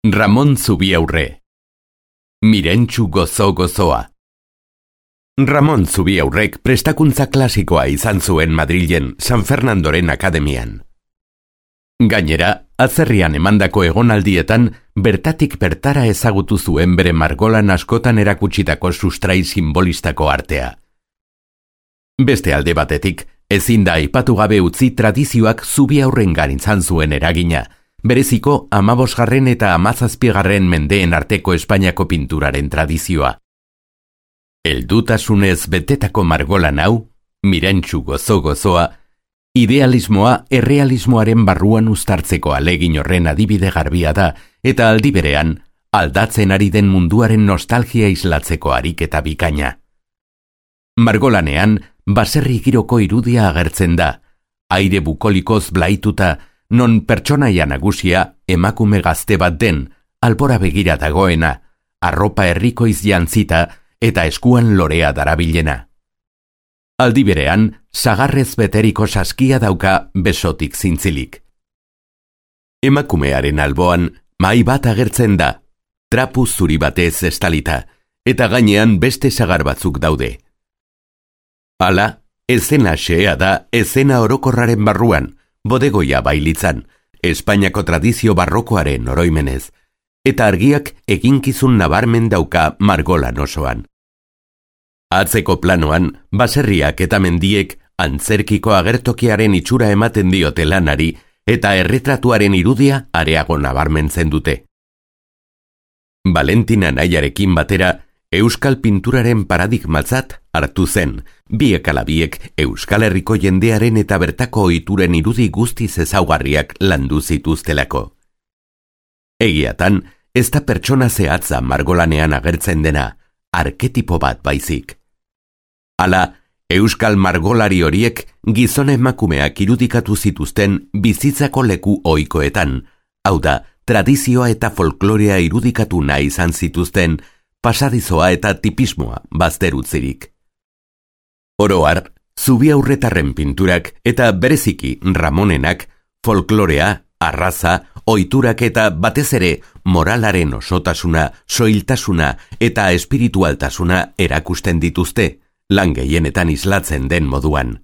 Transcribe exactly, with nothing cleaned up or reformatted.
Ramon Zubiaurre. Mirentxu gozo gozoa. Ramon Zubiaurrek prestakuntza klasikoa izan zuen Madrilen San Fernandoren akademian. Gainera, atzerrian emandako egonaldietan bertatik bertara ezagutu zuen bere margolan askotan erakutsitako sustrai simbolistako artea. Beste alde batetik, ezin da aipatu gabe utzi tradizioak Zubiaurrengan izan zuen eragina, bereziko hamabosgarren eta hamazazpigarren mendeen arteko Espainiako pinturaren tradizioa. Heldutasunez betetako margolan hau, Mirentxu gozo gozoa, idealismoa errealismoaren barruan uztartzeko alegin horren adibide garbia da, eta aldi berean, aldatzen ari den munduaren nostalgia islatzeko ariketa bikaina. Margolanean, baserri giroko irudia agertzen da, aire bukolikoz blaituta, non pertsonaia nagusia emakume gazte bat den, albora begira dagoena, arropa herrikoiz jantzita eta eskuan lorea darabilena. Aldi berean, sagarrez beteriko saskia dauka besotik zintzilik. Emakumearen alboan, mahai bat agertzen da, trapu zuri batez estalita, eta gainean beste sagar batzuk daude. Hala, ezena xea da ezena orokorraren barruan, bodegoia bailitzan, Espainiako tradizio barrokoaren oroimenez, eta argiak eginkizun nabarmen dauka margolan osoan. Atzeko planoan, baserriak eta mendiek antzerkiko agertokiaren itxura ematen diote lanari eta erretratuaren irudia areago nabarmentzen dute. Valentina Nayarekin batera, euskal pinturaren paradigmatzat hartu zen, biek ala biek Euskal Herriko jendearen eta bertako ohituren irudi guztiz ezaugarriak landu zituztelako. Egiatan, ez da pertsona zehatza margolanean agertzen dena, arketipo bat baizik. Hala, euskal margolari horiek gizon emakumeak irudikatu zituzten bizitzako leku ohikoetan, hau da, tradizioa eta folklorea irudikatu nahi izan zituzten, pasadizoa eta tipismoa bazterutzirik. Oro har, Zubiaurretarren pinturak eta bereziki Ramonenak folklorea, arraza, ohiturak eta batez ere moralaren osotasuna, soiltasuna eta espiritualtasuna erakusten dituzte, lan gehienetan islatzen den moduan.